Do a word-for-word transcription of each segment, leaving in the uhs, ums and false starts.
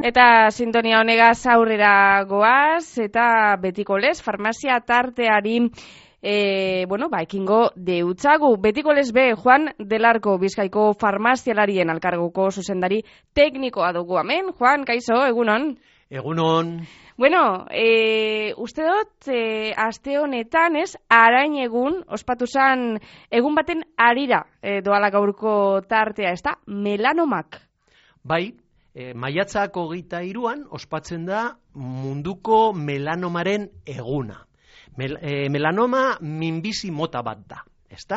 Eta sintonia honegaz aurrera goaz, eta betiko lez, farmazia tarteari E, bueno, ba, ekingo deutzagu. Betiko lez be, Juan Delarko, Bizkaiko farmazialarien alkargoko zuzendari teknikoa dugu hemen. Juan, kaixo, egunon? Egunon. Bueno, e, uste dut, e, aste honetan, ez, arain egun, ospatu zan, egun baten arira e, doala gaurko tartea, ez da, melanomak. Bai, e, maiatzak hogeita hiruan ospatzen da munduko melanomaren eguna. Mel, e, melanoma minbizi mota bat da, ezta?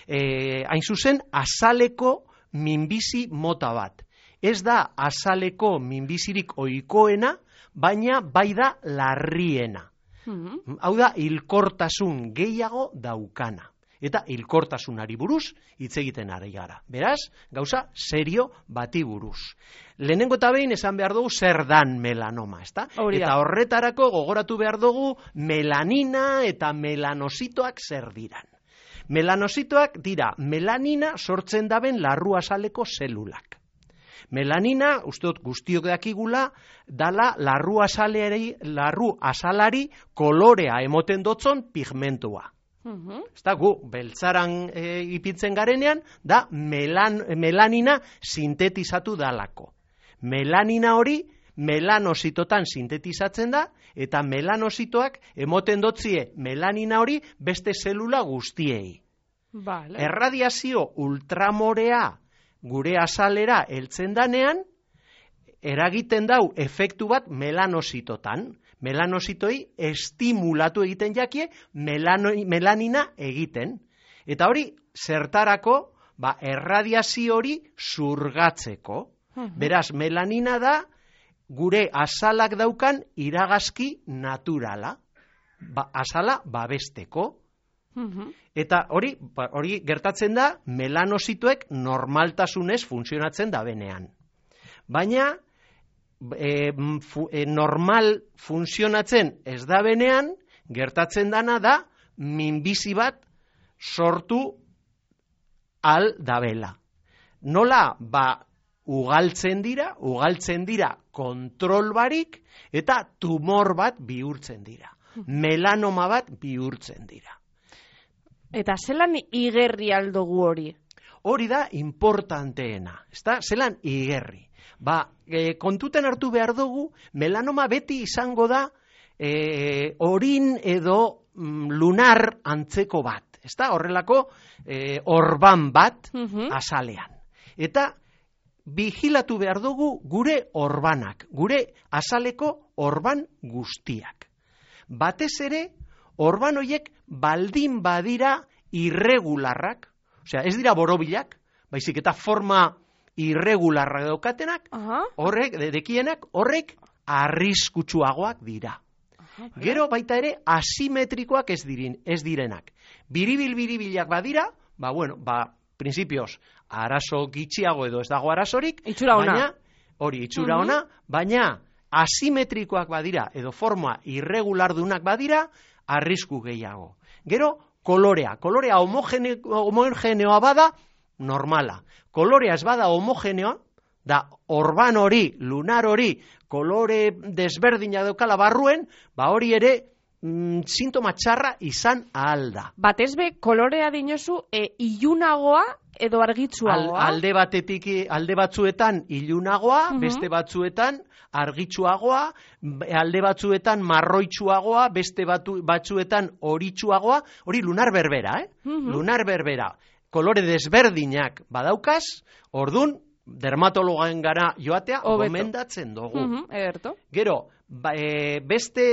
E, hain zuzen, azaleko minbizi mota bat. Ez da azaleko minbizirik ohikoena, baina bai da larriena. Mm-hmm. Hau da, hilkortasun gehiago daukana. Eta hilkortasunari buruz hitz egiten ari gara. Beraz, gauza serio bati buruz. Lehenengo eta behin esan behar dugu zer dan melanoma, ezta? Eta horretarako gogoratu behar dugu melanina eta melanositoak zer diran. Melanositoak dira melanina sortzen daben larru azaleko zelulak. Melanina, uste dut guztiok dakigula, dala larru azalari, larru azalari kolorea emoten dotzon pigmentua. Uh-huh. Ezta gu, beltzaran e, ipintzen garenean, da melan, melanina sintetizatu dalako. Melanina hori melanositotan sintetizatzen da, eta melanositoak emoten dotzie melanina hori beste zelula guztiei. Vale. Erradiazio ultramorea gure azalera heltzen danean, eragiten dau efektu bat melanositotan. Melanositoi estimulatu egiten jakie melano, melanina egiten. Eta hori zertarako, ba, erradiazio hori zurgatzeko. Uh-huh. Beraz, melanina da gure azalak daukan iragazki naturala. Ba, azala babesteko. Uh-huh. Eta hori, ba, hori gertatzen da melanositoek normaltasunez funtzionatzen da benean. Baina, E, fu, e, normal funtzionatzen ez da benean, gertatzen dana da minbizi bat sortu al dabela. Nola, ba, ugaltzen dira, ugaltzen dira kontrol barik eta tumor bat bihurtzen dira. Melanoma bat bihurtzen dira. Eta zelan igerri aldogu hori? Hori da importanteena, ezta? Zelan igerri. Ba, e, kontuten hartu behar dugu, melanoma beti izango da e, orin edo mm, lunar antzeko bat. Ezta? Horrelako e, orban bat uh-huh. azalean. Eta vigilatu behar dugu gure orbanak, gure azaleko orban guztiak. Batez ere, orban horiek baldin badira irregularrak, osea, ez dira borobilak, baizik eta forma irregularra daukatenak, uh-huh. horrek, dekienak, horrek arriskutsuagoak dira. Uh-huh. Gero baita ere asimetrikoak ez, dirin, ez direnak. Biribil-biribilak badira, ba bueno, ba, prinsipioz, arazo gitxiago edo ez dago arazorik, itxura ona. Baina, hori, itxura ona, uh-huh. baina asimetrikoak badira, edo forma irregulardunak badira, arrisku gehiago. Gero, kolorea. Kolorea homogene, homogeneoa bada, normala. Kolorea ez bada homogeneoa, da orban hori, lunar hori, kolore desberdina daukala barruen, ba hori ere mm, sintoma txarra izan ahal da. Batez be, kolorea dinozu e, ilunagoa edo argitsuagoa? Al, alde batetik, alde batzuetan ilunagoa, uh-huh. beste batzuetan argitsuagoa, alde batzuetan marroitsuagoa, beste batu, batzuetan horitsuagoa, hori lunar berbera, eh? Uh-huh. Lunar berbera. Kolore desberdinak badaukaz, ordun dermatologaen gara joatea Obeto. Gomendatzen dugu. Uh-huh, ederto. Gero, ba, e, beste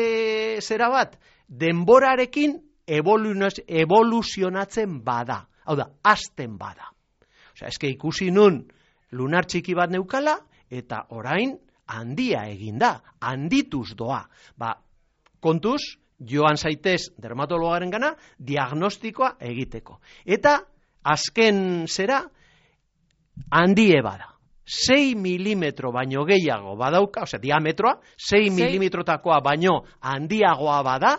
zera bat, denborarekin evoluzionatzen bada. Hau da, azten bada. Osea, eske ikusi nun lunar txiki bat neukala, eta orain handia eginda, handituz doa. Ba, kontuz, joan zaitez dermatologaren gana, diagnostikoa egiteko. Eta, azken zera, handie bada. sei milimetro baino gehiago badauka, osea, diametroa, sei milimetrotakoa baino handiagoa bada,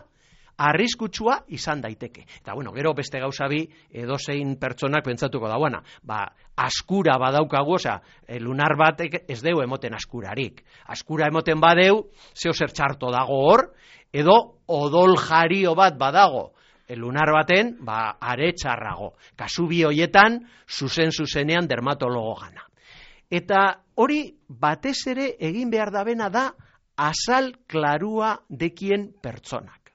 arriskutsua izan daiteke. Eta bueno, gero beste gauza bi edozein pertsonak pentsatuko dauana, ba, askura badaukagu, osea, lunar batek ez deu emoten askurarik. Askura emoten badeu, zeo zer txarto dago hor, edo odol jario bat badago, lunar baten, ba, are txarrago. Kasu bi hoietan, zuzen-zuzenean dermatologo gana. Eta hori batez ere egin behar dabena da azal klarua dekien pertsonak.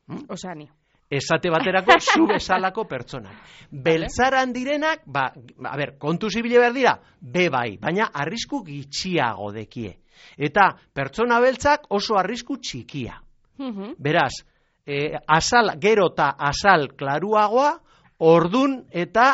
Hmm? Osea, ni. Esate baterako, zu bezalako pertsonak. Beltzaran direnak, ba, a ber, kontu zibile behar dira, be bai, baina arrisku gitxiago dekie. Eta pertsona beltzak oso arrisku txikia. Uh-huh. Beraz, eh, azal, gero eta azal klaruagoa, ordun eta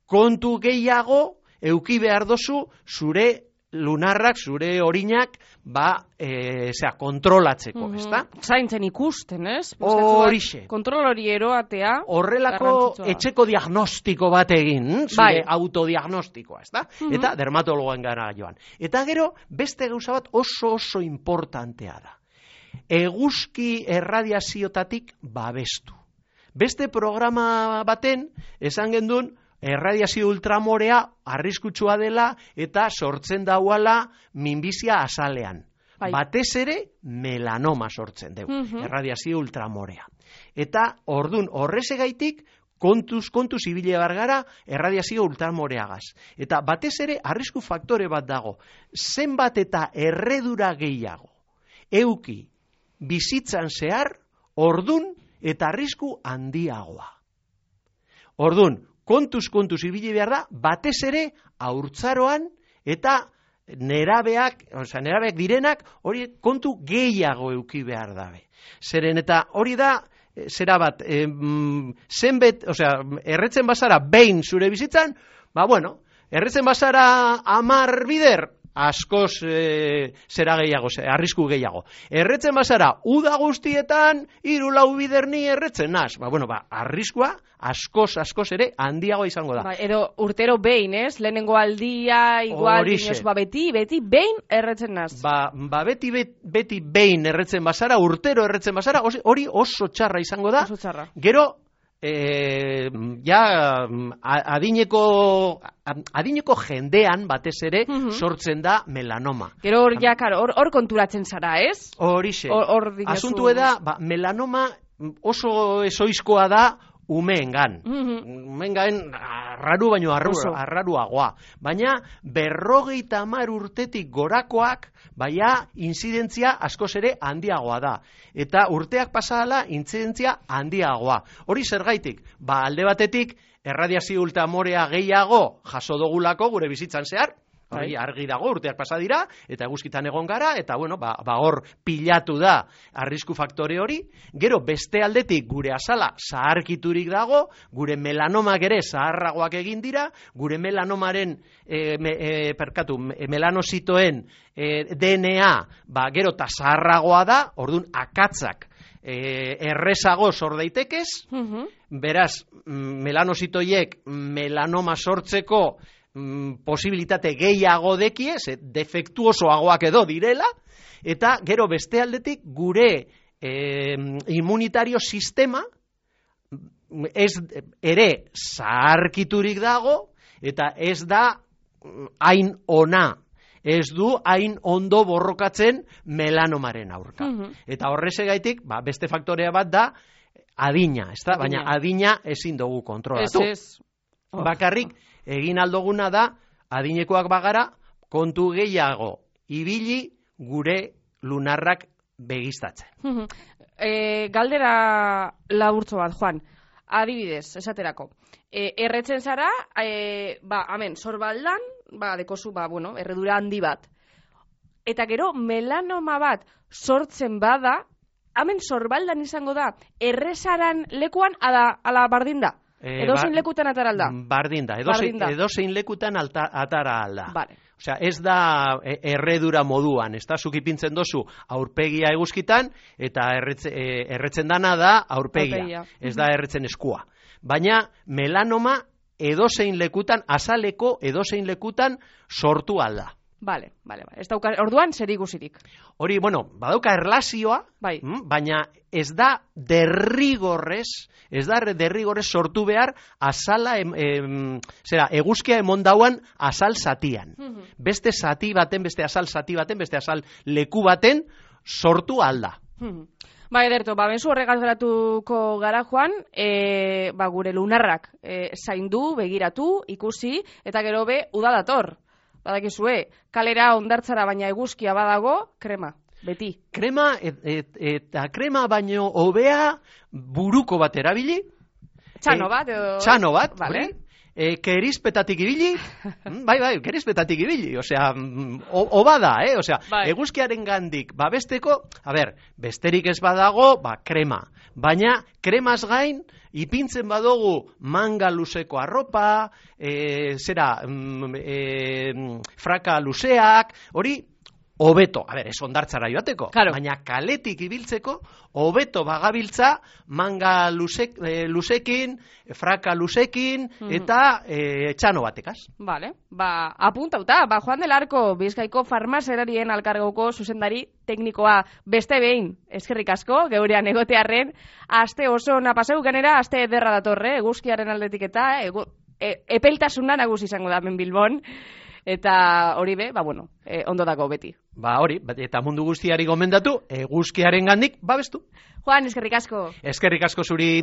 kontu gehiago euki behar dozu zure lunarrak, zure orinak, ba, e, zera, kontrolatzeko, mm-hmm. ezta? Zaintzen ikusten, ez? Horixe. Kontrol hori eroatea. Horrelako etxeko diagnostiko bat egin, zure bai. Autodiagnostikoa, ezta? Mm-hmm. Eta dermatologoen gara joan. Eta gero, beste gauza bat oso oso importantea da. Eguzki erradiaziotatik babestu. Beste programa baten, esan gendun, erradiazio ultramorea arriskutsua dela eta sortzen dauala minbizia azalean. Bai. Batez ere melanoma sortzen dugu, uh-huh. erradiazio ultramorea. Eta ordun horrezegaitik kontuz, kontuz ibile bargara erradiazio ultramoreagaz. Eta batez ere arrisku faktore bat dago. Zenbat eta erredura gehiago euki bizitzan zehar ordun eta arrisku handiagoa. Ordun, kontuz, kontuz ibili behar da, batez ere haurtzaroan eta nerabeak, oza, nerabeak direnak, hori kontu gehiago euki behar dabe. Zeren eta hori da, zera bat, e, zenbet, oza, erretzen bazara behin zure bizitzan, ba bueno, erretzen bazara amar bider, askoz e, zera gehiago, arrisku gehiago. Erretzen bazara, uda guztietan, hiru lau bider ni erretzen naz. Ba, bueno, ba, arriskua, askoz, askoz ere, handiago izango da. Ba, edo urtero behin, ez? Lehenengo aldia, igual, inoz, ba, beti, beti, behin erretzen naz. Ba, ba beti, bet, beti behin erretzen bazara, urtero erretzen bazara, hori oso txarra izango da. Oso txarra. Gero, E, ja adineko adineko jendean batez ere uh-huh. sortzen da melanoma. Gero hor ja, karo, hor, hor konturatzen zara, ez? Horixe. Asuntu da, ba, melanoma oso ezoizkoa da umeengan. Uh-huh. Umeengan arraru baino arru, arraruagoa. Baina berrogeita hamar urtetik gorakoak baina inzidentzia askoz ere handiagoa da. Eta urteak pasala inzidentzia handiagoa. Hori zergaitik? Ba, alde batetik erradiazio ultramorea gehiago jaso dogulako gure bizitzan zehar. Hori argi dago, urteak pasa dira, eta eguzkitan egon gara, eta bueno, ba, ba hor pilatu da arrisku faktore hori. Gero beste aldetik gure azala zaharkiturik dago, gure melanomak ere zaharragoak egin dira, gure melanomaren, e, me, e, perkatu, melanositoen e, D N A, ba, gero eta zaharragoa da, orduan akatzak e, errezago sor daitekez, uh-huh. Beraz, melanositoiek melanoma sortzeko posibilitate gehiago dekie, ze defektuosoagoak edo direla, eta gero beste aldetik gure e, immunitario sistema ez ere zaharkiturik dago, eta ez da hain ona, ez du hain ondo borrokatzen melanomaren aurka. Uh-huh. Eta horrezegaitik, ba, beste faktorea bat da adina, ez da? Baina adina ezin dugu kontrolatu. Ez, ez. Oh. Bakarrik, egin aldoguna da, adinekoak bagara, kontu gehiago ibili gure lunarrak begistatzen. e, galdera laburtzo bat, Juan. Adibidez, esaterako. E, erretzen zara, e, ba, amen, sorbaldan, ba, dekozu, ba, bueno, erredura handi bat. Eta gero, melanoma bat sortzen bada, amen, sorbaldan izango da, errezaran lekuan, ala, ala bardin da. Edo zein lekutan atara alda? Bardin da, edo zein lekutan alta, atara alda. Vale. Osea, ez da erredura moduan, ez da zukipintzen dozu aurpegia eguzkitan, eta erretze, erretzen dana da aurpegia, aurpegia. Ez da erretzen eskua. Baina melanoma edo zein lekutan, azaleko edo zein lekutan sortu alda. Bale, bale, bale. Ez dauka, orduan, zer ikusirik. Hori, bueno, badauka erlazioa, bai. Baina ez da derrigorrez, ez da derrigorrez sortu behar azala, em, em, zera, eguzkia emon dauan azal zatian. Mm-hmm. Beste zati baten, beste azal zati baten, beste azal leku baten sortu alda. Mm-hmm. Ba, ederto, ba, benzu horregaz geratuko gara, Juan, e, ba, gure lunarrak e, zaindu, begiratu, ikusi, eta gero be, uda dator. Badakizue, kalera ondartzara baina eguzkia badago, krema, beti. Krema, et, et, eta krema baino hobea buruko bat erabili. Txano bat, edo... Txano bat, vale. E, kerizpetatik ibili, bai, bai, kerizpetatik ibili, osea, oba da, eh, osea, bai. Eguzkiaren gandik, babesteko, a ber, besterik ez badago, ba, krema, baina kremaz gain, ipintzen badugu manga luzeko arropa, e, zera, e, fraka luzeak, hori, hobeto, a ber, ez ondartzara joateko, claro. Baina kaletik ibiltzeko, hobeto bagabiltza manga luzek, e, luzekin, fraka luzekin, mm-hmm. eta e, txano batekaz. Vale, ba, apuntauta, ba, Juan del Arco, Bizkaiko farmazerarien alkargoko zuzendari teknikoa beste behin, eskerrik asko, geurean egotearren, aste oso ona pasau genera, aste ederra datorre, eguzkiaren aldetik eta, egu, e, epeltasuna nagusi izango da men Bilbon, eta hori be, ba bueno, e, ondo dago beti. Ba hori, eta mundu guztiari gomendatu, eguzkiaren gandik babestu. Juan, eskerrik asko. Eskerrik asko zuri.